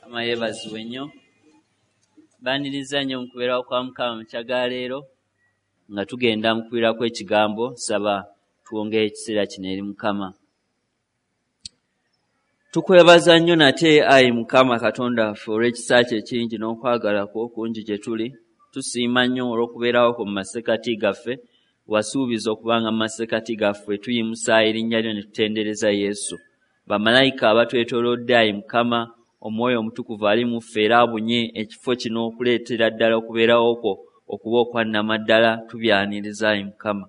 Mukama yeebazibwe nnyo. Mbaaniriza nnyo mu kubeerawo kwa Mukama mu makya ga leero nga tugenda mu kuwulirako ekigambo, nsaba tuwongeyo ekiseera kino eri Mukama. Tukwebaza nnyo nate ayi Mukama Katonda waffe olw'ekisa kyo ekingi n'okwagala kwo okungi gye tuli. Tusiima nnyo olw'okubeerawo kwo mu masekkati gaffe. Wasuubiza okubanga mu masekkati gaffe tuyimusa erinnya lyo ne tutendereza Yesu. Bamalayika abatwetoolodde ayi Mukama, Omwoyo Omutukuvu ali mu ffe era abunye ekifo kino okuleetera ddala okubeerawo kwo okuba okwa nnamaddala, tubyaniriza ayi Mukama.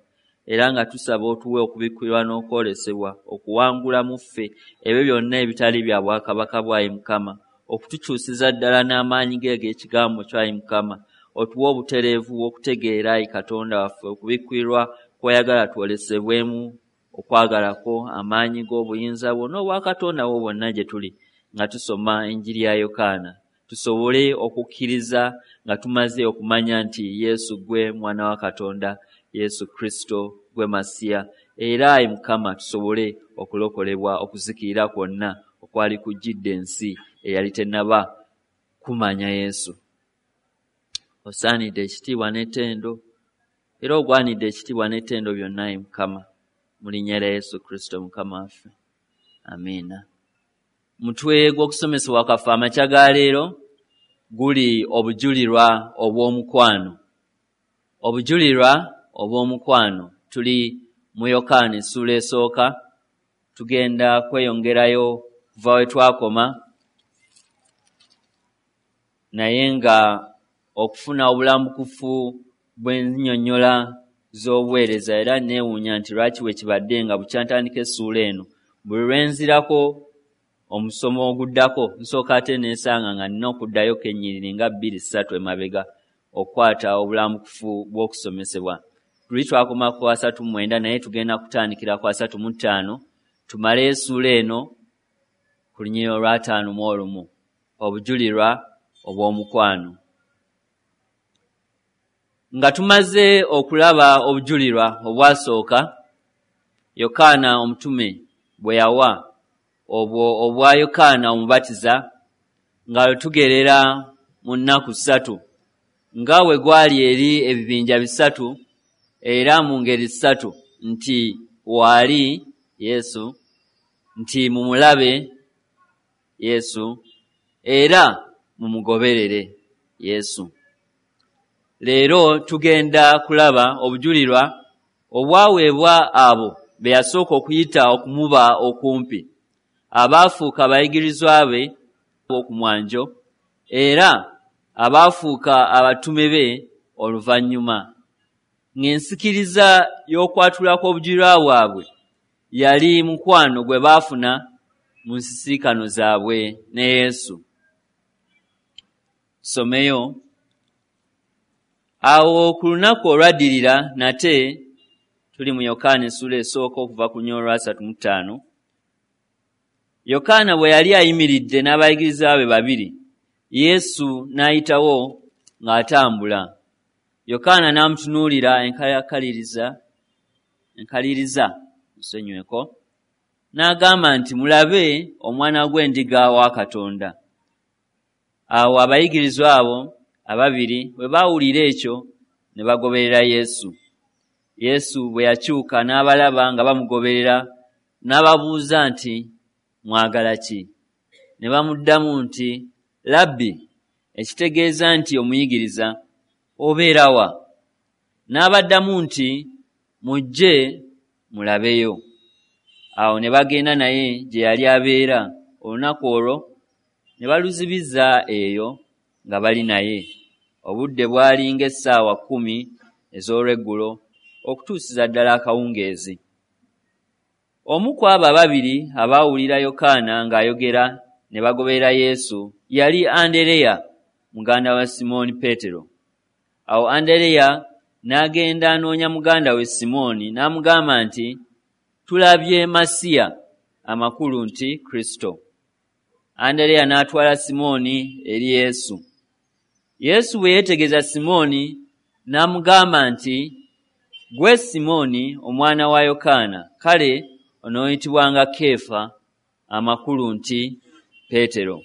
Era nga tusaba otuwe okubikkulirwa n'okwolesebwa okuwangula mu ffe ebyo byonna ebitali bya bwakabaka bwo ayi Mukama, okutukyusiza ddala n'amaanyi ge ag'ekigambo kyo ayi Mukama. Otuwe obutereevu bw'okutegeera ayi Katonda waffe okubikkulirwa kw'oyagala twolesebwemu okwagala kwo, amaanyi go, obuyinza bwo n'obwakatonda bwo bwonna gye tuli nga tusoma enjiri ya Yokaana, tusobole okukkiriza nga tumaze okumanya nti Yesu ggwe Mwana wa Katonda, Yesu Kristo ggwe Masiya, era ayi Mukama tusobole okulokolebwa okuzikirira kwonna okwali kujjidde ensi eyali tennaba kumanya Yesu. Osaanidde ekitiibwa n'ettendo, era ogwanidde ekitiibwa n'ettendo byonna ayi Mukama, mu linnya lya Yesu Kristo Mukama waffe. Amiina. Mutwe gw'okusomesebwa kwaffe amakya ga leero guli obujulirwa obw'omukwano. Obujulirwa obw'omukwano. Tuli mu Yokaana essuula esooka, tugenda kweyongerayo kuva we twakoma, naye nga okufuna obulambukufu bw'ennyonnyola z'obuweereza, era neewuunya nti lwaki bwe kibadde nga bukyantandika essuula eno, buli lwe nzirako omusomo oguddako nsooka ate neesanga nga nnina okuddayoko ennyiriri nga bbiri ssatu emabega okukwata obulambukufu bw'okusomesebwa. Luli twakoma ku 39, naye tugenda kutandikira ku 35 tumaleyo essuula eno ku lunyiriri olw'ataano mu olumu, obujulirwa obw'omukwano. Nga tumaze okulaba obujulirwa obwasooka Yokaana omutume bwe yawa, obwo obwa Yokaana Omubatiza, nga tugerera mu nnaku ssatu, nga bwe gwali eri ebibinja bisatu era mu ngeri ssatu, nti waali Yesu, nti mumulabe Yesu, era mumugoberere Yesu. Leero tugenda kulaba obujulirwa obwaweebwa abo be yasooka okuyita okumuba okumpi, abaafuuka abayigirizwa be ku mwanjo, era abaafuuka abatume be oluvannyuma, ng'ensikiriza y'okwatula kw'obujulirwa bwabwe yali mukwano gwe baafuna mu nsisinkano zaabwe ne Yesu. Tusomeyo. Awo ku lunaku olwaddirira nate, tuli mu Yokaana essuula esooka okuva ku lunyiriri olwa 35, Yokaana bwe yali ayimiridde n'abayigirizwa be babiri, Yesu n'ayitawo ng'atambula. Yokaana n'amutunuulira enkaliriza, nsonyiweko, n'agamba nti, "Mulabe omwana gw'endiga wa Katonda." Awo abayigirizwa abo ababiri bwe baawulira ekyo ne bagoberera Yesu. Yesu bwe yakyuka n'abalaba nga bamugoberera, n'ababuuza nti, "Mwagala ki?" Ne bamuddamu nti, "Labbi," ekitegeeza nti omuyigiriza, "obeera wa?" N'abaddamu nti, "Mujje mulabeyo." Awo ne bagenda naye gye yali abeera, olunaku olwo ne baluzibiza eyo nga bali naye. Obudde bwali ng'essaawa 10 ez'olweggulo okutuusiza ddala akawungeezi. Omu ku abo ababiri abaawulira Yokaana ng'ayogera ne bagoberera Yesu yali Andereya muganda wa Simooni Peetero. Awo Andereya n'agenda anoonya muganda we Simooni n'amugamba nti, "Tulabye Masiya," amakulu nti Kristo. Andereya n'atwala Simooni eri Yesu. Yesu bwe yeetegereza Simooni n'amugamba nti, "Ggwe Simooni omwana wa Yokaana, kale onooyitibwanga Keefa," amakulu nti Peetero.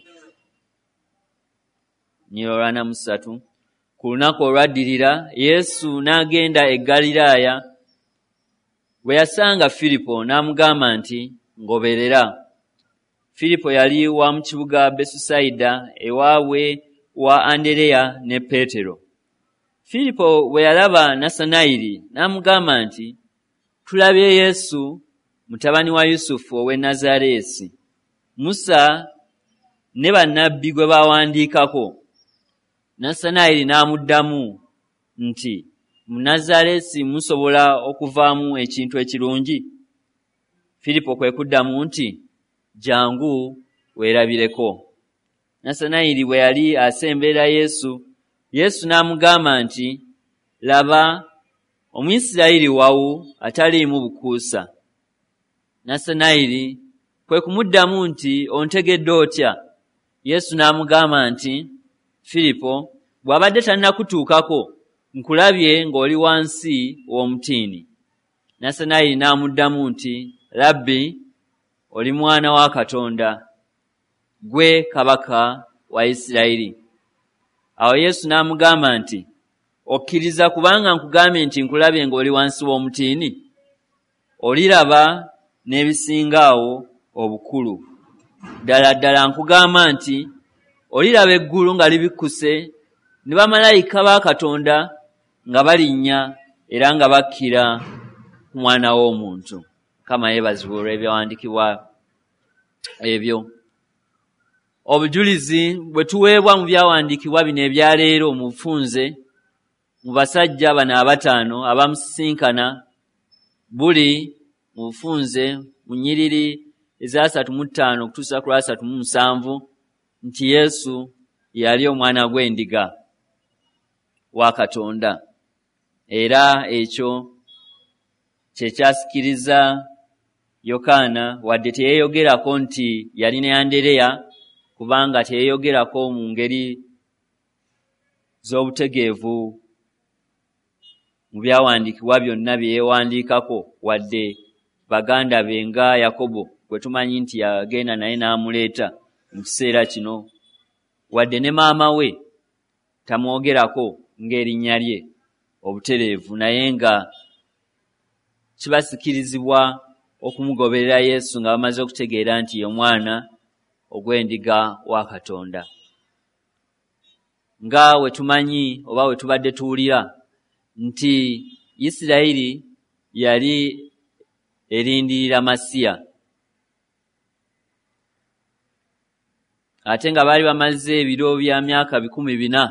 43. Ku lunaku olwaddirira Yesu n'agenda e Ggaliraaya. Bwe yasanga Firipo n'amugamba nti, "Ngoberera." Firipo yali wa mu kibuga Besusayida, ewaabwe wa Andereya ne Peetero. Firipo bwe yalaba Nassanayiri n'amugamba nti, "Tulabye Yesu, mutabani wa Yusufu ow'e Nazaaleesi, Musa ne bannabbi gwe baawandiikako." Nassanayiri n'amuddamu nti, "Mu Nazaaleesi musobola okuvaamu ekintu ekirungi?" Firipo kwe kuddamu nti, "Jjangu weerabireko." Nassanayiri bwe yali asemberera Yesu, Yesu n'amugamba nti, "Laba Omuyisirayiri wawu ataliimu bukuusa." Nassanayiri kwe kumuddamu nti, "Ontegedde otya?" Yesu n'amugamba nti, "Firipo bw'abadde tannakutuukako, nkulabye ng'oli wansi w'omutiini." Nassanayiri n'amuddamu nti, "Labbi, oli mwana wa Katonda, ggwe kabaka wa Isirayiri." Awo Yesu n'amugamba nti, "Okkiriza kubanga nkugambye nti nkulabye ng'oli wansi w'omutiini? Oliraba n'ebisinga awo obukulu. Ddala ddala nkugamba nti oliraba eggulu nga libikkuse ne bamalayika ba Katonda nga balinnya era nga bakkira ku Mwana w'Omuntu." Mukama yeebazibwe olw'ebyawandiikibwa ebyo. Obujulizi bwe tuweebwa mu byawandiikibwa bino ebya leero mu bufunze mu basajja bano abataano abamusisinkana buli mu bufunze mu nnyiriri eza 35 okutuusa ku lwa 37, nti Yesu yali omwana gw'endiga wa Katonda, era ekyo kye kyasikiriza Yokaana, wadde teyeeyogerako nti yali ne Andereya, kubanga teyeeyogerako mu ngeri z'obutegeevu mu byawandiikibwa byonna bye yeewandiikako, wadde baganda be nga Yakobo gwe tumanyi nti yagenda naye n'amuleeta mu kiseera kino, wadde ne maama we tamwogerako ng'erinnya lye obutereevu, naye nga kibasikirizibwa okumugoberera Yesu nga bamaze okutegeera nti ye Omwana ogw'endiga wa Katonda. Nga we tumanyi oba we tubadde tuwulira nti Isirayiri yali erindirira Masiya, ate nga baali bamaze ebiro bya myaka 400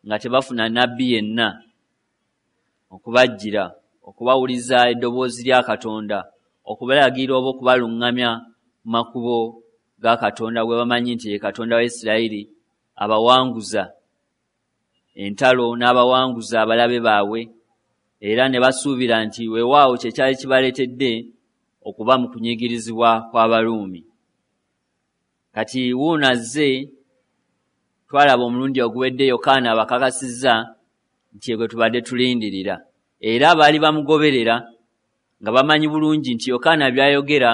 nga tebafuna nabbi yenna okubajjira, okubawuliza eddoboozi lya Katonda, okubalagira oba okubaluŋŋamya mu makubo ga Katonda gwe bamanyi nti ye Katonda wa Isirayiri, abawanguza entalo n'abawanguza abalabe baabwe, era ne basuubira nti weewaawo kye kyali kibaleetedde okuba mu kunyigirizibwa kw'Abaruumi. Kati wuuno azze, twalaba omulundi oguwedde Yokaana abakakasizza nti ye gwe tubadde tulindirira, era baali bamugoberera nga bamanyi bulungi nti Yokaana by'ayogera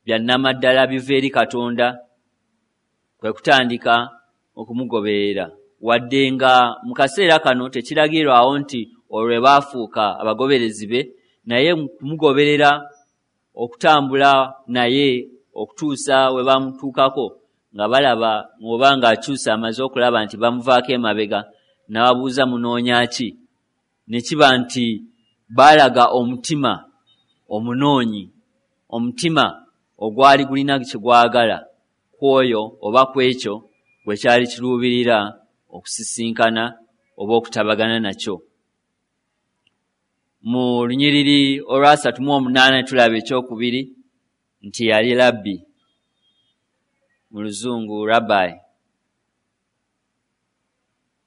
bya nnamaddala biva eri Katonda, kwe kutandika okumugoberera, wadde nga mu kaseera kano tekiragirwawo nti olwo baafuuka abagoberezi be, naye kumugoberera okutambula naye okutuusa we bamutuukako nga balaba oba ng'akyusa amaze okulaba nti bamuvaako emabega, n'ababuuza, "Munoonya ki?" Ne kiba nti baalaga omutima omunoonyi, omutima ogwali gulina kye gwagala ku oyo oba ku ekyo gwe kyali kiruubirira okusisinkana oba okutabagana nakyo. Mu lunyiriri olwa 38 tulaba ekyokubiri nti yali labbi, mu Luzungu rabbi.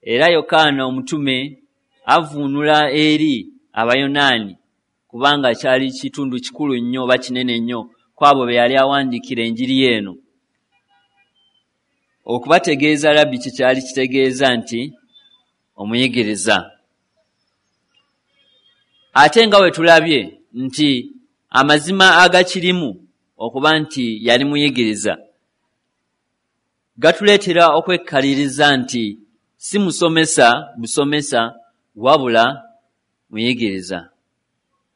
Era Yokaana omutume avvuunula eri Abayonaani, kubanga kyali kitundu kikulu nnyo oba kinene nnyo ku abo be yali awandiikira enjiri eno, okubategeeza labbi kye kyali kitegeeza nti omuyigiriza. Ate nga we tulabye nti amazima agakirimu okuba nti yali muyigiriza Gatuleetera okwekkaliriza nti si musomesa busomesa wabula muyigiriza.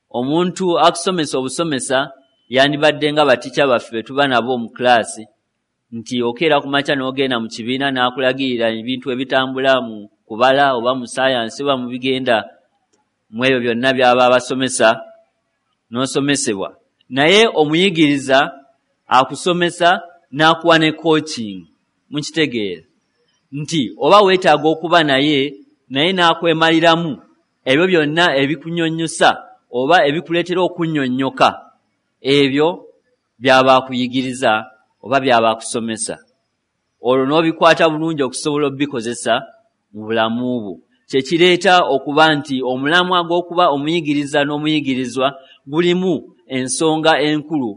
Omuntu akusomesa obusomesa yandibadde nga batica baffe be tuba nabo mu kulaasi, nti okeera ku makya n'ogenda mu kibiina n'akulagirira ebintu ebitambula mu kubala oba mu saayansi oba mu bigenda mu ebyo byonna by'aba abasomesa n'osomesebwa. Naye omuyigiriza akusomesa n'akuwa ne coaching, mukitegeera nti oba weetaaga okuba naye n'akwemaliramu ebyo byonna ebikunyonnyosa oba ebikuleetera okunnyonnyoka, ebyo by'aba akuyigiriza oba by'aba akusomesa, olwo n'obikwata bulungi okusobola obikozesa mu bulamu bwo. Kye kireeta okuba nti omulamwa gw'okuba omuyigiriza n'omuyigirizwa gulimu ensonga enkulu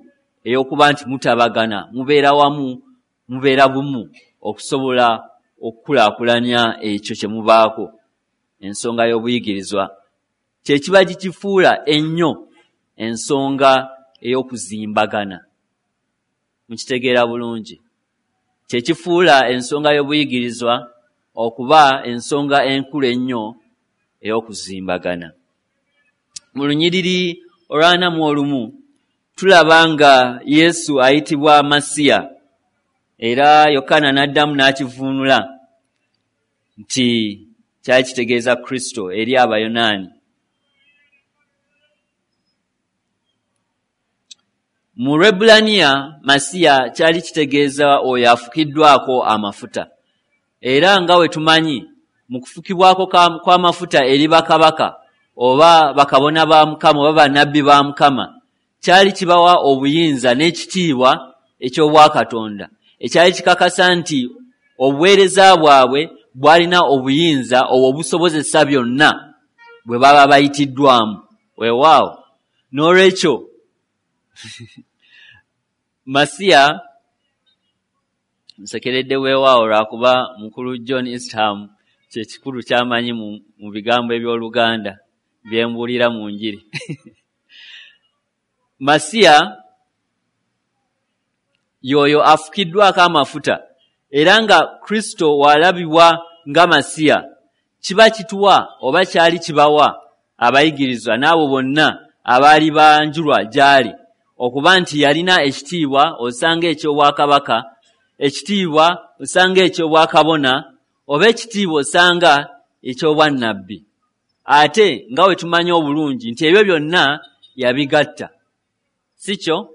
ey'okuba nti mutabagana, mubeera wamu, mubeera bumu okusobola okukulaakulanya ekyo kye mubaako. Ensonga y'obuyigirizwa kye kiba kikifuula ennyo ensonga ey'okuzimbagana. Mukitegeera bulungi. Kye kifuula ensonga y'obuyigirizwa okuba ensonga enkulu ennyo ey'okuzimbagana. Mu lunyiriri olw'41 tulaba nga Yesu ayitibwa Masiya, era Yokaana n'addamu n'akivuunula nti kyali kitegeeza Kristo eri Abayonaani. Mu Lwebbulaniya Masiya kyali kitegeeza oyo afukiddwako amafuta, era nga we tumanyi mu kufukibwako kw'amafuta eri bakabaka oba bakabona ba Mukama oba bannabbi ba Mukama, kyali kibawa obuyinza n'ekitiibwa eky'obwakatonda ekyali kikakasa nti obuweereza bwabwe bwalina obuyinza obwo obusobozesa byonna bwe baba bayitiddwamu. Weewaawo, n'olwekyo Masiya nsekeredde weewaawo lwakuba mukulu John Eastham kye kikulu ky'amanyi mu bigambo eby'Oluganda bye mbuulira mu njiri. Masiya y'oyo afukiddwako amafuta, era nga Kristo w'alabibwa nga Masiya, kiba kituwa oba kyali kibawa abayigirizwa n'abo bonna abaali banjulwa gy'ali okuba nti yalina ekitiibwa osanga eky'obwakabaka, ekitiibwa osanga eky'obwakabona, oba ekitiibwa osanga eky'obwannabbi. Ate nga we tumanyi obulungi nti ebyo byonna yabigatta, si kyo?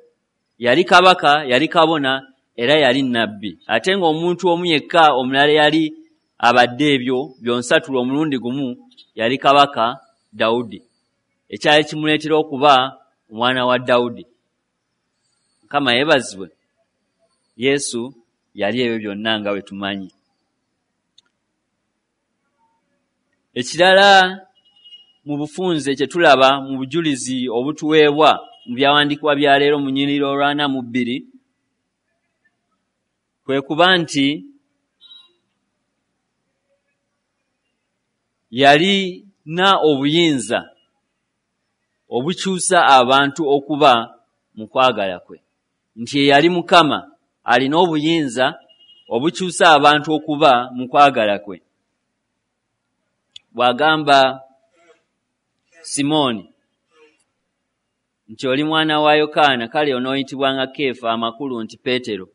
Yali kabaka, yali kabona, era yali nnabbi, ate ng'omuntu omu yekka omulala yali abadde ebyo byonsatula omulundi gumu yali kabaka Dawudi, ekyali kimuleetera okuba omwana wa Dawudi. Mukama yeebazibwe. Yesu yali ebyo byonna nga bwe tumanyi. Ekirala mu bufunze kye tulaba mu bujulizi obutuweebwa mu byawandiikibwa bya leero mu nnyiriri olw'42 kwe kuba nti yalina obuyinza obukyusa abantu okuba mu kwagala kwe, nti ye yali Mukama alina obuyinza obukyusa abantu okuba mu kwagala kwe. Bw'agamba Simooni nti oli mwana wa Yokaana, kale onooyitibwanga Keefa, amakulu nti Peetero,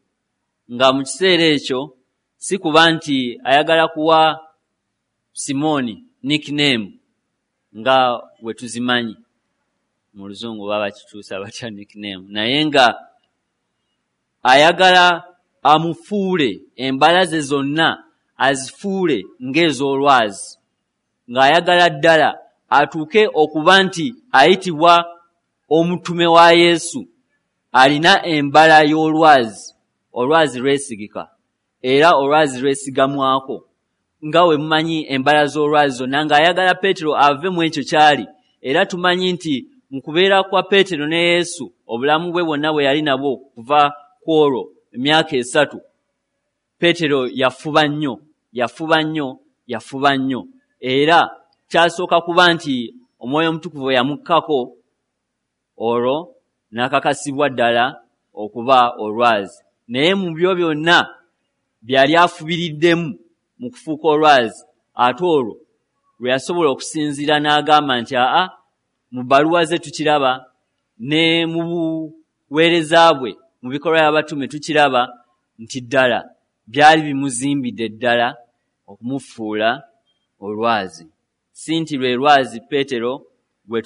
nga mu kiseera ekyo si kuba nti ayagala kuwa Simooni nickname nga bwe tuzimanyi mu Luzungu baba bakikyusa batya nickname, naye nga ayagala amufuule embala ze zonna azifuule ng'ez'olwazi, ng'ayagala ddala atuuke okuba nti ayitibwa omutume wa Yesu alina embala y'olwazi, olwazi lwesigika era olwazi lwesigamwako nga we mumanyi embala z'olwazi zonna, ng'ayagala Peetero ave mu ekyo ky'ali. Era tumanyi nti mu kubeera kwa Peetero ne Yesu obulamu bwe bwonna bwe yali nabwo kuva ku olwo emyaka 3, Peetero yafuba nnyo, yafuba nnyo, yafuba nnyo, era kyasooka kuba nti Omwoyo Omutukuvu yamukkako olwo n'akakasibwa ddala okuba olwazi. Naye mu byo byonna byali afubiriddemu mu kufuuka olwazi, ate olwo lwe yasobola okusinziira n'agamba nti aa, mu bbaluwa ze tukiraba, ne mu buweereza bwe mu bikolwa by'abatume tukiraba nti ddala byali bimuzimbidde ddala okumufuula olwazi. Si nti lwe lwazi Peetero gwe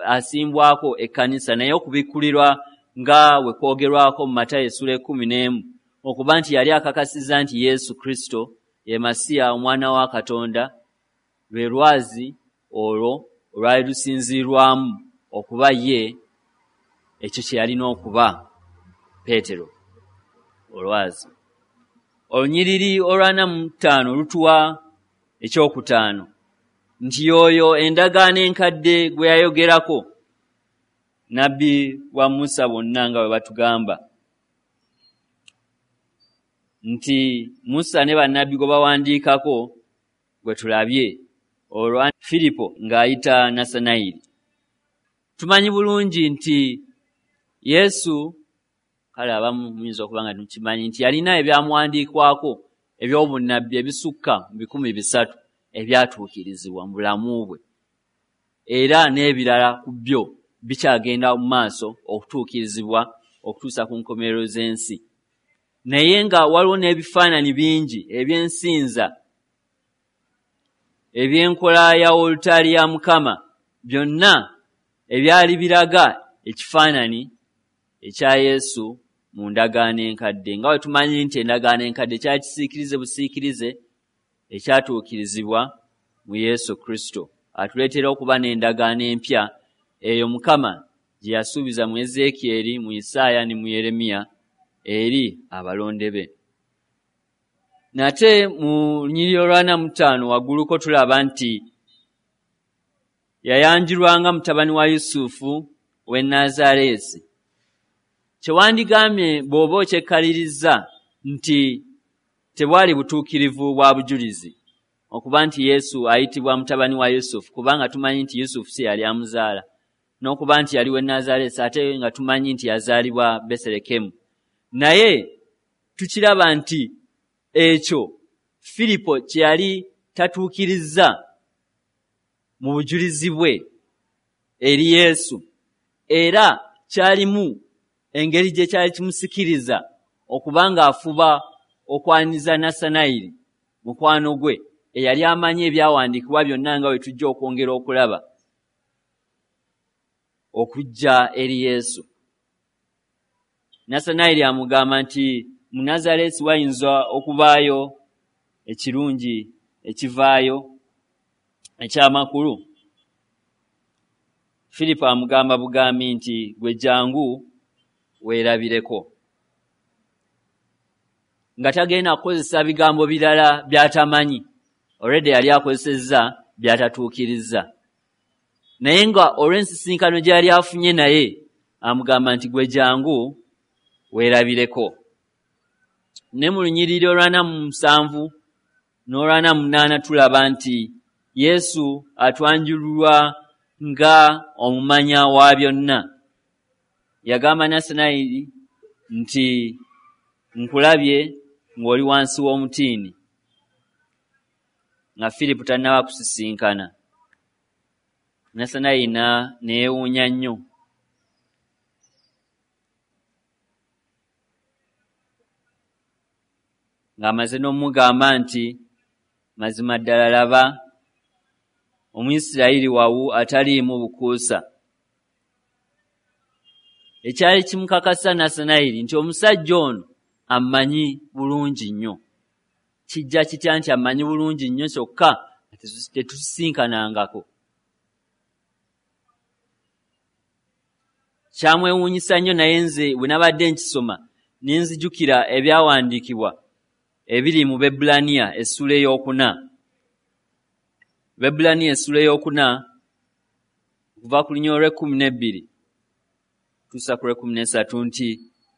asimbwako ekkanisa, naye okubikkulirwa nga we kwogerwako mu Matayo essula 11, okuba nti yali akakasizza nti Yesu Kristo ye Masiya omwana wa Katonda, lwe lwazi olwo olwali lusinziirwamu okuba ye ekyo kye yalina okuba Peetero olwazi. Olunyiriri olwa 45 lutuwa ekyokutaano nti y'oyo endagaano enkadde gwe yayogerako, nabbi wa Musa bonna nga bwe batugamba nti Musa ne bannabbi gwe bawandiikako gwe tulabye, olwa Firipo ng'ayita Nassanayiri. Tumanyi bulungi nti Yesu, kale abamu muyinza okuba nga mukimanyi nti yalina ebyamuwandiikwako eby'obunnabbi ebisukka mu 300 ebyatuukirizibwa mu bulamu bwe, era n'ebirala ku byo bikyagenda mu maaso okutuukirizibwa okutuusa ku nkomerero z'ensi. Naye nga waliwo n'ebifaananyi bingi eby'ensinza, eby'enkola ya wolutaali ya Mukama, byonna ebyali biraga ekifaananyi ekya Yesu mu ndagaano enkadde, nga bwe tumanyi nti endagaano enkadde kyali kisiikirize busiikirize ekyatuukirizibwa mu Yesu Kristo, atuleetera okuba n'endagaano empya eyo Mukama gye yasuubiza mu Ezeekyeri, mu Isaaya ne mu Yeremiya eri abalonde be. Nate mu lunyiriri olwa 45 wagguluko tulaba nti yayanjulwanga mutabani wa Yusufu w'e Nazaaleesi. Kyewandigambye bw'oba okyekkaliriza nti tebwali butuukirivu bwa bujulizi okuba nti Yesu ayitibwa mutabani wa Yusufu, kubanga tumanyi nti Yusufu si yali amuzaala, n'okuba nti yali w'e Nazaaleesi, ate nga tumanyi nti yazaalibwa Beserekemu. Naye tukiraba nti ekyo Firipo kye yali tatuukirizza mu bujulizi bwe eri Yesu, era kyalimu engeri gye kyali kimusikiriza okuba ng'afuba okwaniriza Nassanayiri mukwano gwe eyali amanyi ebyawandiikibwa byonna, nga bwe tujja okwongera okulaba, okujja eri Yesu. Nassanayiri amugamba nti mu Nazaaleesi wayinza okubaayo ekirungi ekivaayo ekyamakulu. Firipo amugamba bugambi nti gwe jangu weerabireko, nga tagenda kukozesa bigambo birala by'atamanyi. Already yali akozesezza by'atatuukirizza, naye nga olw'ensisinkano gye yali afunye naye amugamba nti gwe jangu weerabireko. Ne mu lunyiriri olwa 47 n'olwa 48 tulaba nti Yesu atwanjululwa nga omumanya wa byonna. Yagamba Nassanayiri nti nkulabye ng'oli wansi w'omutiini, nga Firipo tannaba kusisinkana. Nassanayiri ne yeewuunya nnyo. Ng'amaze n'omugamba nti mazima ddala laba Omuyisirayiri wawu ataliimu bukuusa. Ekyali kimukakasa Nassanayiri nti omusajja ono ammanyi bulungi nnyo. Kijja kitya nti ammanyi bulungi nnyo kyokka tetusisinkanangako? Kyamwewuunyisa nnyo, naye nze bwe nabadde nkisoma ne nzijukira ebyawandiikibwa ebiri mu Bebbulaniya essula 4. Bebbulaniya essula 4 okuva ku lunyiriri olw'e 12 tuusa ku lw'e 13 nti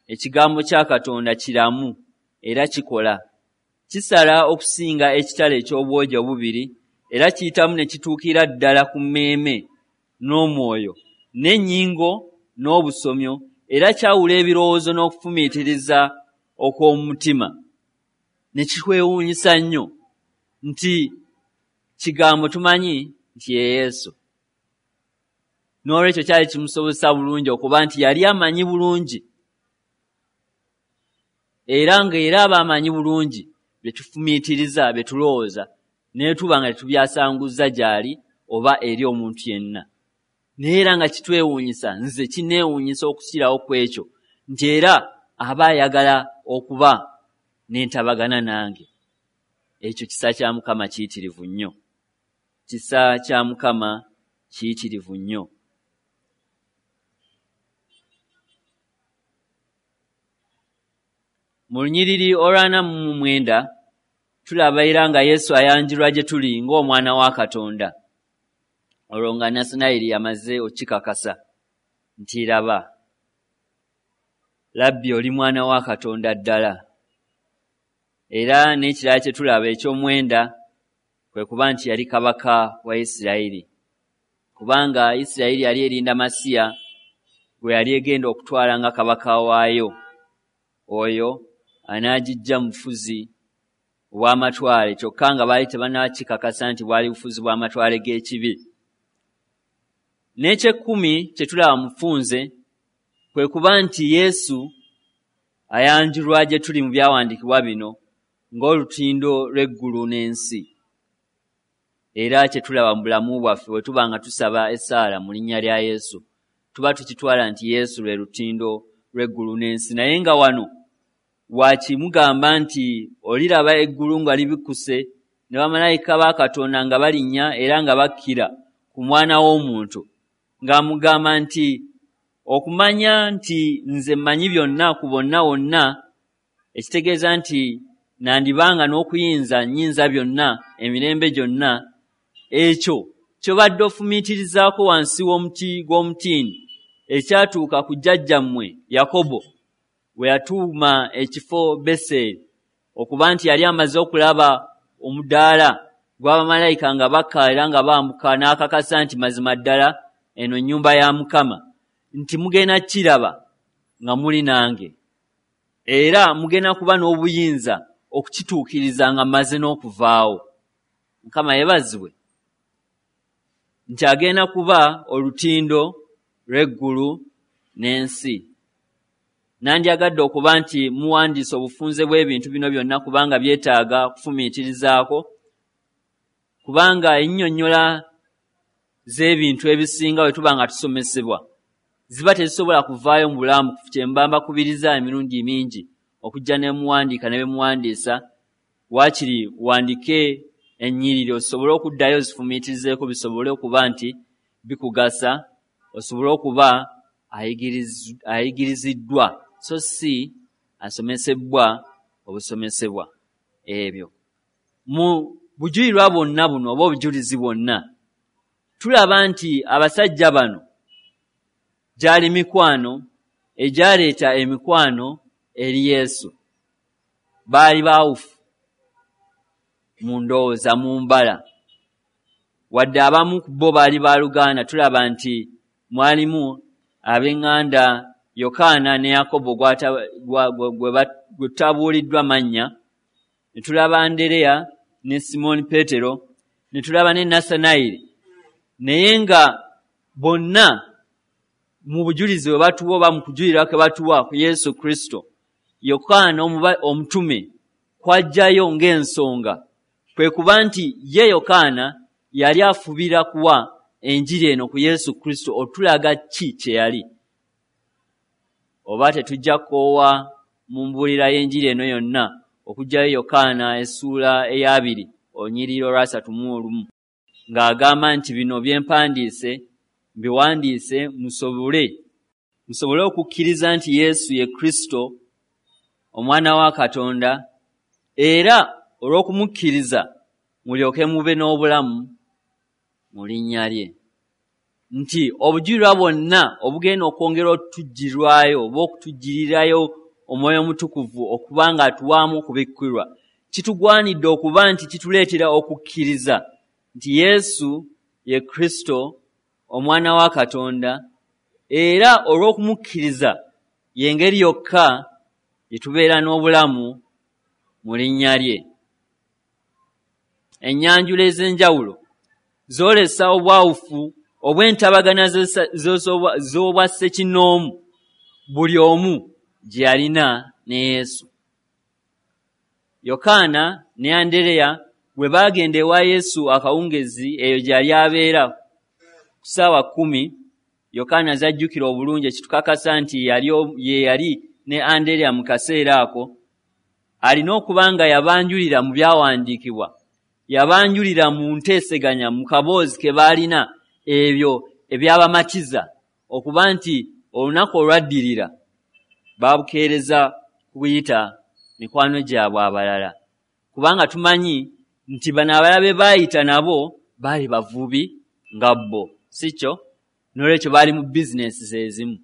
ekigambo kya Katonda kiramu era kikola, kisala okusinga ekitala eky'obwogi obubiri, era kiyitamu ne kituukira ddala ku mmeeme n'omwoyo n'ennyingo n'obusomyo, era kyawula ebirowoozo n'okufumiitiriza okw'omu mutima. Ne kikwewuunyisa nnyo nti kigambo tumanyi nti ye Yesu. N'olwekyo kyali kimusobozesa bulungi okuba nti yali amanyi bulungi, era nga era aba amanyi bulungi bye tufumiitiriza, bye tulowooza, naye tuba nga tetubyasanguza gy'ali oba eri omuntu yenna. Naye era nga kitwewuunyisa, nze kinneewuunyisa okukirawo ku ekyo nti era aba ayagala okuba n'entabagana nange. Ekyo kisa kya Mukama kiyitirivu nnyo. Kisa kya Mukama kiyitirivu nnyo. Mu lunyiriri olwa 49 tulaba era nga Yesu ayanjulwa gye tuli ng'Omwana wa Katonda. Olwo nga Nassanayiri amaze okukikakasa nti laba, Labbi oli mwana wa Katonda ddala. Era n'ekirala kye tulaba eky'omwenda kwe kuba nti yali kabaka wa Isirayiri, kubanga Isirayiri yali erinda Masiya gwe yali egenda okutwala nga kabaka waayo, oyo anaagijja mu bufuzi obw'amatwale, kyokka nga baali tebannakikakasa nti bwali bufuzi bw'amatwale g'ekibi. N'eky'ekkumi kye tulaba mu bufunze kwe kuba nti Yesu ayanjulwa gye tuli mu byawandiikibwa bino ng'olutindo lw'eggulu n'ensi. Era kye tulaba mu bulamu bwaffe bwe tuba nga tusaba essaala mu linnya lya Yesu, tuba tukitwala nti Yesu lwe lutindo lw'eggulu n'ensi. Naye nga wano wakimugamba nti oliraba eggulu nga libikkuse ne bamalayika ba Katonda nga balinnya era nga bakkira ku Mwana w'Omuntu, ng'amugamba nti okumanya nti nze mmanyi byonna ku bonna wonna, ekitegeeza nti nandibanga n'okuyinza nnyinza byonna emirembe gyonna, ekyo ky'obadde ofumiitirizaako wansi w'omuti gw'omutiini ekyatuuka ku jjajjammwe Yakobo bwe yatuuma ekifo Beseri, okuba nti yali amaze okulaba omudaala gw'abamalayika nga bakka era nga bambuka, n'akakasa nti mazima ddala eno nnyumba ya Mukama, nti mugenda kiraba nga muli nange, era mugenda kuba n'obuyinza okukituukiriza nga mmaze n'okuvaawo. Mukama yeebazibwe nti agenda kuba olutindo lw'eggulu n'ensi. Nandyagadde okuba nti muwandiise obufunze bw'ebintu bino byonna, kubanga byetaaga kufumiitirizaako, kubanga ennyonnyola z'ebintu ebisinga bwe tuba nga tusomesebwa ziba tezisobola kuvaayo mu bulamu. Kye mba mbakubiriza emirundi mingi okujja ne muwandiika ne bye muwandiisa, waakiri wandike ennyiriri osobole okuddayo ozifumiitirizeeko, bisobole okuba nti bikugasa, osobole okuba ayigiriziddwa so si asomesebwa obusomesebwa. Ebyo mu bujulirwa bwonna buno oba obujulizi bwonna tulaba nti abasajja bano gyali mikwano egyaleeta emikwano eri Yesu. Baali baawufu mu ndowooza, mu mbala, wadde abamu ku bo baali baluganda. Tulaba nti mwalimu ab'eŋŋanda Yokaana ne Yakobo gwe tutabuuliddwa mannya, ne tulaba Andereya ne Simooni Peetero, ne tulaba ne Nassanayiri. Naye nga bonna mu bujulizi bwe batuwa oba mu kujulira kwe batuwa ku Yesu Kristo, Yokaana omutume kw'aggyayo ng'ensonga kwe kuba nti ye Yokaana yali afubira kuwa enjiri eno ku Yesu Kristo otulaga ki kye yali. Oba tetujja kukoowa mu mbuulira y'enjiri eno yonna okuggyayo Yokaana essuula ey'abiri olunyiriri olwa 31, ng'agamba nti bino bye mpandiise mbiwandiise musobole okukkiriza nti Yesu ye Kristo Omwana wa Katonda, era olw'okumukkiriza mulyoke mube n'obulamu mu linnya lye. Nti obujulirwa bwonna obugenda okwongera otujjirwayo oba okutujjirirayo Omwoyo Omutukuvu okuba nga atuwaamu okubikkulirwa, kitugwanidde okuba nti kituleetera okukkiriza nti Yesu ye Kristo Omwana wa Katonda, era olw'okumukkiriza y'engeri yokka gye tubeera n'obulamu mu linnya lye. Ennyanjula ez'enjawulo zoolesa obwawufu obw'entabagana z'obwa ssekinnoomu buli omu gye yalina ne Yesu. Yokaana ne Andereya bwe baagenda ewa Yesu akawungezi eyo gye yali abeera ku ssaawa 10, Yokaana z'ajjukira obulungi, ekitukakasa nti ye yali ne Andereya mu kaseera ako, alina okuba nga yabanjulira mu byawandiikibwa, yabanjulira mu nteeseganya mu kaboozi ke baalina ebyo ebyabamatiza okuba nti olunaku olwaddirira babukeereza kuyita mikwano gyabwe abalala, kubanga tumanyi nti bano abalala be baayita nabo baali bavubi nga bo, si kyo? N'olwekyo baali mu bizinensi ezimu,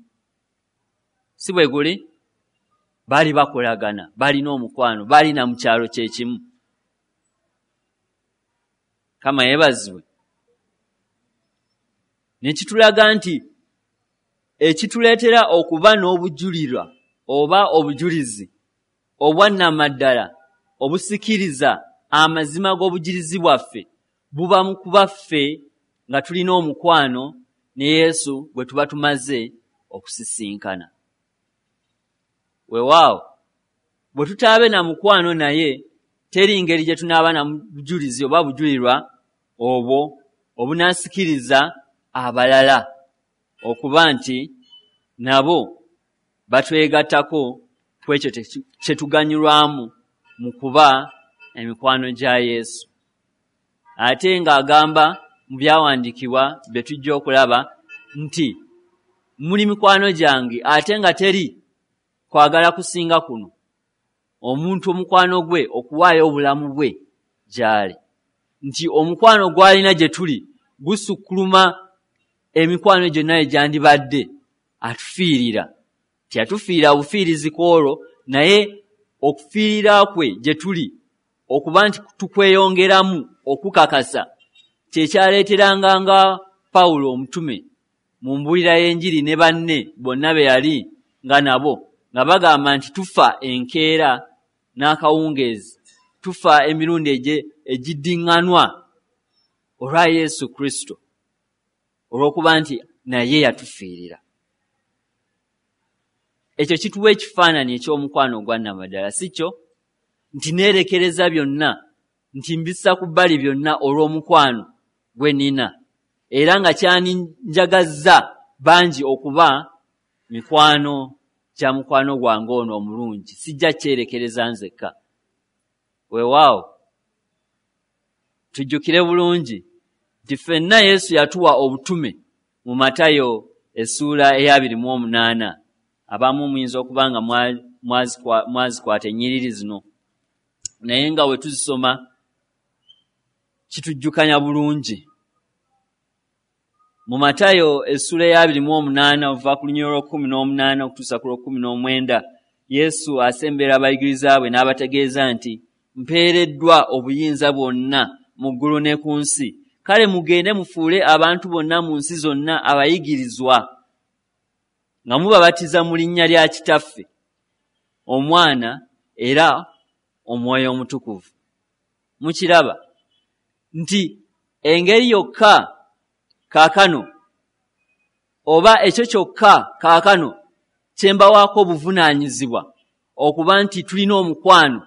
si bwe guli? Baali bakolagana, balina omukwano, baalina mu kyalo kye kimu. Mukama yeebazibwe. Ne kitulaga nti ekituleetera okuba n'obujulirwa oba obujulizi obwannamaddala obusikiriza amazima g'obujulizi bwaffe buba mu kuba ffe nga tulina omukwano ne Yesu gwe tuba tumaze okusisinkana. Weewaawo bwe tutaabe na mukwano naye, teri ngeri gye tunaaba na bujulizi oba bujulirwa obwo obunaasikiriza abalala okuba nti nabo batwegattako ku ekyo kye tuganyulwamu mu kuba emikwano gya Yesu. Ate ng'agamba mu byawandiikibwa bye tujja okulaba nti muli mikwano gyange, ate nga teri kwagala kusinga kuno, omuntu omukwano gwe okuwaayo obulamu bwe gy'ali, nti omukwano gw'alina gye tuli gusukkuluma emikwano gyonna egyandibadde. Atufiirira, teyatufiirira bufiirizi ku olwo, naye okufiirira kwe gye tuli okuba nti tukweyongeramu okukakasa kyekyaleeteranga nga Pawulo omutume mu mbuulira y'enjiri ne banne bonna be yali nga nabo nga bagamba nti tufa enkeera n'akawungeezi, tufa emirundi egiddiŋŋanwa olwa Yesu Kristo, olw'okuba nti naye yatufiirira. Ekyo kituwa ekifaananyi eky'omukwano ogwa nnamaddala, si kyo? Nti neerekereza byonna, nti mbissa ku bbali byonna olw'omukwano gwe nnina, era nga kyaninjagazza bangi okuba mikwano gya mukwano gwange ono omulungi, sijja kyerekereza nzekka. Weewaawo tujjukire bulungi nti ffenna Yesu yatuwa obutume mu Matayo essuula eya 28. Abamu muyinza okuba nga mwazikwata ennyiriri zino, naye nga bwe tuzisoma kitujjukanya bulungi. Mu Matayo essuula eya 28 okuva ku lunyiriri olw'18 okutuusa ku lw'19, Yesu asembera abayigiriza bwe n'abategeeza nti mpeereddwa obuyinza bwonna mu ggulu ne ku nsi, kale mugende mufuule abantu bonna mu nsi zonna abayigirizwa, nga mubabatiza mu linnya lya Kitaffe, Omwana era Omwoyo Omutukuvu. Mukiraba nti engeri yokka kaakano, oba ekyo kyokka kaakano kye mbawaako obuvunaanyizibwa okuba nti tulina omukwano,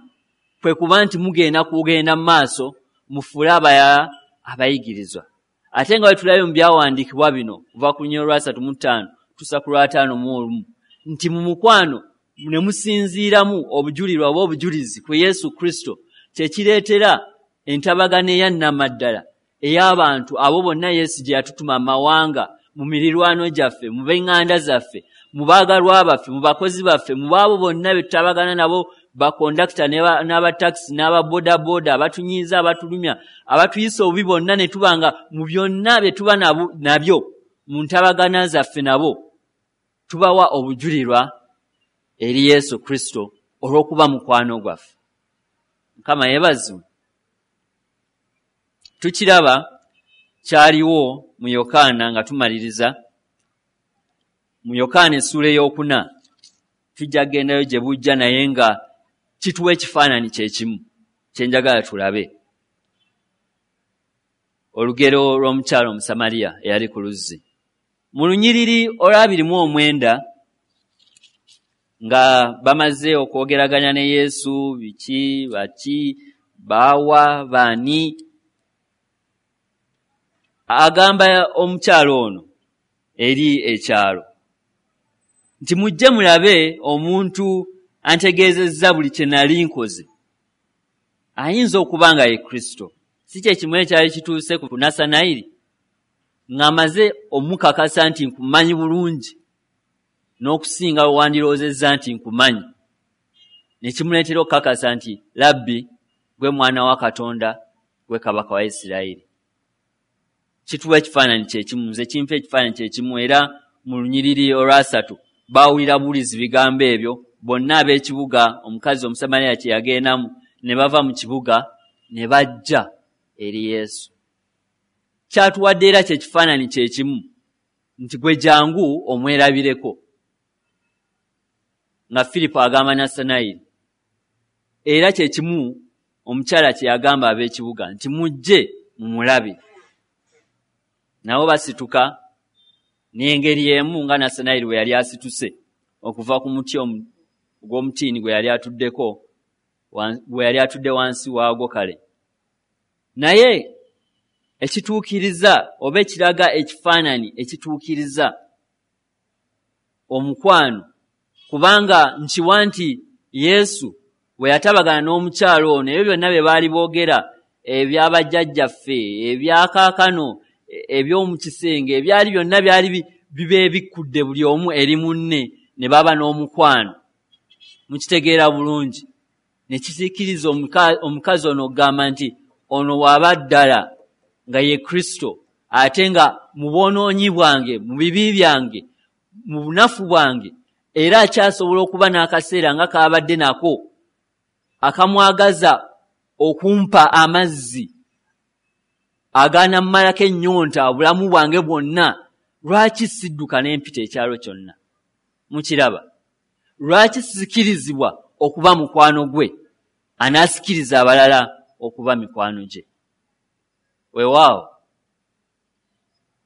kwe kuba nti mugenda kugenda mu maaso mufuule abalala abayigirizwa. Ate nga bwe tulabye mu byawandiikibwa bino okuva ku lunyiriri olwa 35 tusa ku lwa 51 nti mu mukwano ne musinziiramu obujulirwa oba obujulizi ku Yesu Kristo, kye kireetera entabagana eyannamaddala ey'abantu abo bonna Yesu gye yatutuma mu mawanga, mu mirirwano gyaffe, mu b'eŋŋanda zaffe, mu baagalwa baffe, mu bakozi baffe, mu baabo bonna be tutabagana nabo, bakondakita n'abatakisi n'ababoodabooda, abatunyiiza, abatulumya, abatuyisa obubi bonna, ne tuba nga mu byonna bye tuba nabyo mu ntabagana zaffe nabo tubawa obujulirwa eri Yesu Kristo olw'okuba mukwano gwaffe. Mukama yeebazibwe. Tukiraba kyaliwo mu Yokaana nga tumaliriza mu Yokaana essuula ey'okuna, tujja kugendayo gye bujja, naye nga Kituwa ekifaananyi kye kimu kye njagala tulabe. Olugero lw'omukyala Omusamaliya eyali ku luzzi. Mu lunyiriri olw'29 nga bamaze okwogeraganya ne Yesu, biki, baki, baawa, baani, agamba omukyala ono eri ekyalo nti mujje mulabe omuntu antegeezezza buli kye nali nkoze. Ayinza okuba nga ye Kristo. Si kye kimu ekyali kituuse ku Nassanayiri ng'amaze omukakasa nti nkumanyi bulungi n'okusinga we wandirowoozezza nti nkumanyi, ne kimuleetera okukakasa nti Labbi gwe mwana wa Katonda, gwe kabaka wa Isirayiri. Kituwa ekifaananyi kye kimu, nze kimpa ekifaananyi kye kimu. Era mu lunyiriri olwasatu baawulira buwulizi bigambo ebyo bonna ab'ekibuga omukazi Omusamaliya kye yagendamu, ne bava mu kibuga ne bajja eri Yesu. Kyatuwadde era kye kifaananyi kye kimu nti gwe jangu omwerabireko, nga Firipo agamba Nassanayiri. Era kye kimu omukyala kye yagamba ab'ekibuga nti mujje mumulabe. Nabo basituka n'engeri emu nga Nassanayiri bwe yali asituse okuva ku muti ogw'omutiini gwe yali atuddeko, gwe yali atudde wansi waagwo kale. Naye ekituukiriza oba ekiraga ekifaananyi ekituukiriza omukwano, kubanga nkiwa nti Yesu bwe yatabagana n'omukyalo ono, ebyo byonna bye baali boogera ebyabajjajjaffe, ebyakaakano, eby'omu kisenge, ebyali byonna byali bibeebikkudde buli omu eri munne, ne baba n'omukwano. Mukitegeera bulungi. Ne kisiikiriza omukazi ono okugamba nti ono waba ddala nga ye Kristo, ate nga mu bwonoonyi bwange, mu bibi byange, mu bunafu bwange, era akyasobola okuba n'akaseera nga kaabadde nako akamwagaza okumpa amazzi agaanammalako ennyonta obulamu bwange bwonna. Lwaki sidduka n'empita ekyalo kyonna? Mukiraba? Lwaki sikirizibwa okuba mukwano gwe anaasikiriza abalala okuba mikwano gye? Weewaawo,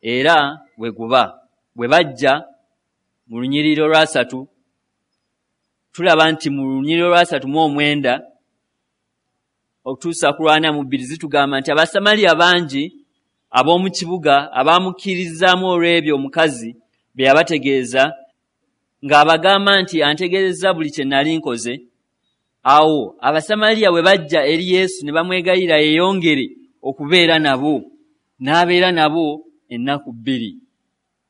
era bwe guba bwe bajja mu lunyiriri olwasatu, tulaba nti mu lunyiriri olw'39 okutuusa ku 42 zitugamba nti Abasamaliya bangi ab'omu kibuga abaamukkiririzaamu olw'ebyo omukazi bye yabategeeza, ng'abagamba nti antegeezezza buli kye nali nkoze. Awo Abasamaliya bwe bajja eri Yesu ne bamwegayirira yeeyongere okubeera nabo, n'abeera nabo ennaku 2.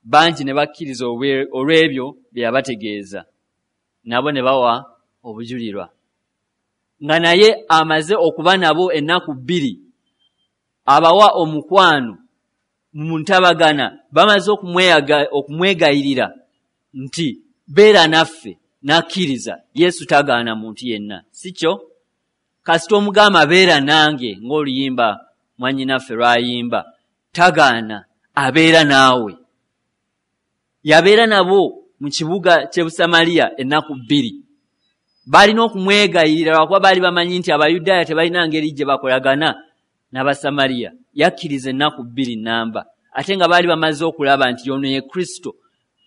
Bangi ne bakkiriza olw'ebyo bye yabategeeza, nabo ne bawa obujulirwa. Nga naye amaze okuba nabo ennaku 2, abawa omukwano mu ntabagana, bamaze okumwegayirira nti beera naffe, n'akkiriza. Yesu tagaana muntu yenna, si kyo? Kasita omugamba beera nange, ng'oluyimba mwannyinaffe lw'ayimba, tagaana, abeera naawe. Yabeera nabo mu kibuga ky'e Busamaliya ennaku 2. Balina okumwegayirira lwakuba baali bamanyi nti Abayudaaya tebalina ngeri gye bakolagana n'Abasamaliya. Yakkiriza ennaku 2 namba, ate nga baali bamaze okulaba nti ono ye Kristo,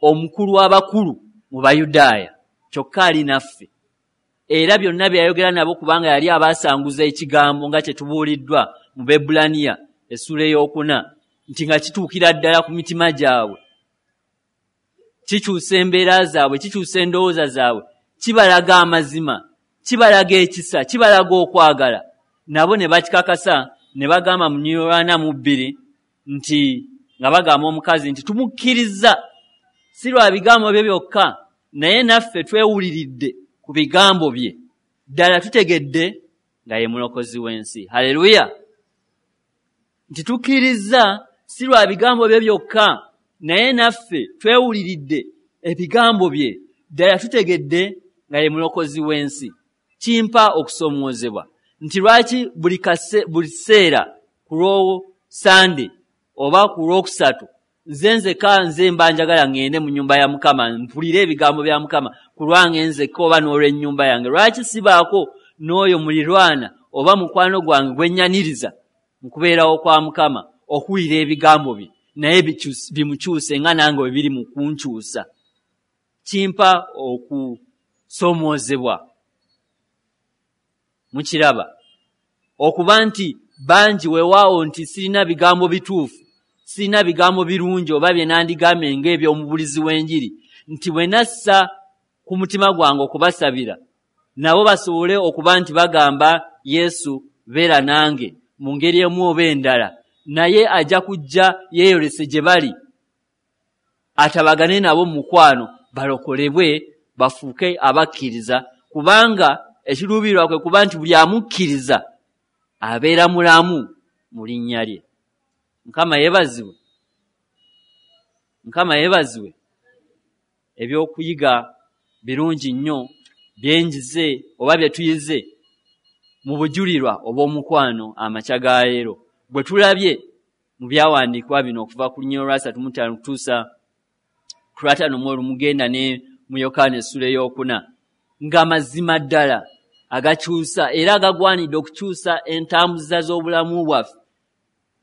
omukulu w'abakulu mu Bayudaaya, kyokka ali naffe. Era byonna bye yayogera nabo, kubanga yali abaasanguza ekigambo nga kye tubuuliddwa mu Bebbulaniya essuula 4, nti nga kituukira ddala ku mitima gyabwe, kikyusa embeera zaabwe, kikyusa endowooza zaabwe, kibalaga amazima, kibalaga ekisa, kibalaga okwagala. Nabo ne bakikakasa ne bagamba mu lunyiriri olw'42 nti nga bagamba omukazi nti tumukkiriza si lwa bigambo bye byokka, naye naffe twewuliridde ku bigambo bye, ddala tutegedde nga ye mulokozi w'ensi. Haleluya! Nti tukkiriza si lwa bigambo bye byokka, naye naffe twewuliridde ebigambo bye, ddala tutegedde nga ye mulokozi w'ensi. Kimpa okusoomoozebwa nti lwaki buli kiseera ku Lwosande oba ku Lwokusatu nze nzekka nze mba njagala ŋŋende mu nnyumba ya Mukama mpulire ebigambo bya Mukama ku lwange nzekka oba n'olw'ennyumba yange. Lwaki sibaako n'oyo mulirwana oba mukwano gwange gwe nnyaniriza mu kubeerawo kwa Mukama okuwulira ebigambo bye naye bimukyuse nga nange bwe biri mu kunkyusa. Kimpa okusoomoozebwa. Mukiraba okuba nti bangi weewaawo nti sirina bigambo bituufu, sirina bigambo birungi oba bye nandigambye ng'eby'omubulizi w'enjiri, nti bwe nassa ku mutima gwange okubasabira nabo basobole okuba nti bagamba Yesu beera nange mu ngeri emu oba endala, naye ajja kujja yeeyolese gye bali atabagane nabo mu mukwano balokolebwe bafuuke abakkiriza, kubanga ekiruubirirwa kwe kuba nti buli amukkiriza abeera mulamu mu linnya lye. Mukama yeebazibwe. Mukama yeebazibwe. Ebyokuyiga birungi nnyo byenjize oba bye tuyize mu bujulirwa obw'omukwano amakya ga leero bwe tulabye mu byawandiikibwa bino okuva ku lunyiriri lwa 35 okutuusa ku lwa 51 mugenda ne mu Yokaana essula ey'okuna, nga mazima ddala agakyusa era agagwanidde okukyusa entambuza z'obulamu bwaffe,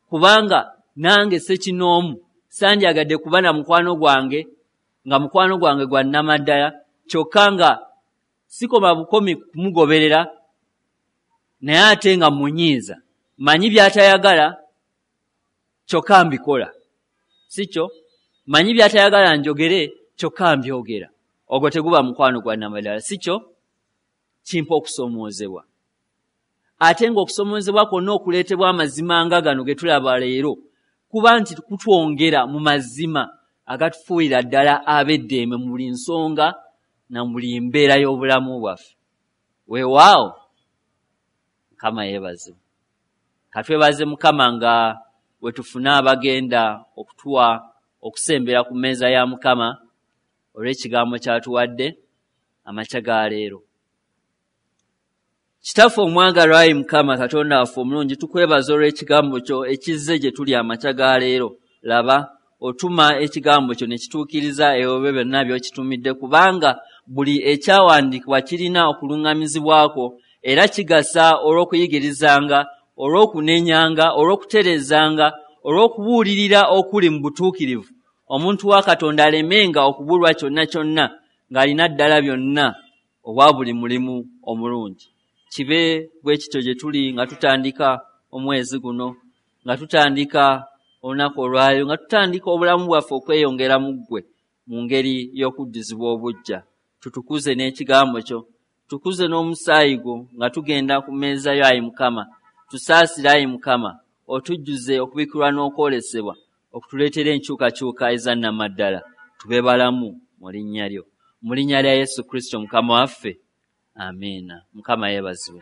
kubanga nange ssekinoomu sandyagadde kuba na mukwano gwange nga mukwano gwange gwa nnamaddala, kyokka nga sikoma bukomi kumugoberera naye ate nga munyiiza, manyi by'atayagala kyokka mbikola, si kyo? Manyi by'atayagala njogere kyokka mbyogera. Ogwo teguba mukwano gwa nnamaddala, si kyo? Kimpa okusoomoozebwa. Ate ng'okusoomoozebwa kwonna okuleetebwa amazima nga gano ge tulaba leero kuba nti kutwongera mu mazima agatufuulira ddala ab'eddembe mu buli nsonga na buli mbeera y'obulamu bwaffe. Weewaawo Mukama yeebazibwe. Katwebaze Mukama nga we tufuna abagenda okutuwa okusembera ku mmeeza ya Mukama olw'ekigambo ky'atuwadde amakya ga leero. Kitaffe omwagalwa, ayi Mukama Katonda waffe omulungi, tukwebaza olw'ekigambo kyo ekizze gye tuli amakya ga leero. Laba otuma ekigambo kyo ne kituukiriza ebyo byonna by'okitumidde, kubanga buli ekyawandiikibwa kirina okuluŋŋamizibwako era kigasa olw'okuyigirizanga, olw'okunenyanga, olw'okutereezanga, olw'okubuulirira okuli mu butuukirivu, omuntu wa Katonda alemenga okubulwa kyonna kyonna ng'alina ddala byonna obwa buli mulimu omulungi. Kibe bwe kityo gye tuli nga tutandika omwezi guno, nga tutandika olunaku olwaleero, nga tutandika obulamu bwaffe okweyongera mu ggwe mu ngeri y'okuddizibwa obuggya. Tutukuze n'ekigambo kyo, tukuze n'omusaayi gwo nga tugenda ku mmeeza yo, ayi Mukama. Tusaasire, ayi Mukama, otujjuze okubikkulwa n'okwolesebwa okutuleetera enkyukakyuka eza nnamaddala, tube balamu mu linnya lyo. Mu linnya lya Yesu Kristo Mukama waffe, amiina. Mukama yeebazibwe.